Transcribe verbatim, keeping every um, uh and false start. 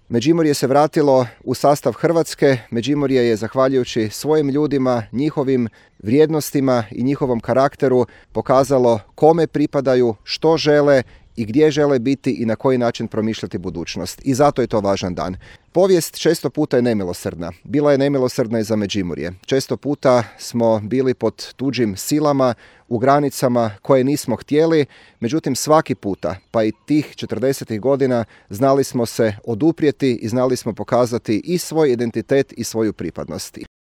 Međimurje se vratilo u sastav Hrvatske. Međimurje je, zahvaljujući svojim ljudima, njihovim vrijednostima i njihovom karakteru, pokazalo kome pripadaju, što žele i gdje žele biti i na koji način promišljati budućnost. I zato je to važan dan. Povijest često puta je nemilosrdna. Bila je nemilosrdna i za Međimurje. Često puta smo bili pod tuđim silama, u granicama koje nismo htjeli, međutim svaki puta, pa i tih četrdesetih godina, znali smo se oduprijeti i znali smo pokazati i svoj identitet i svoju pripadnost.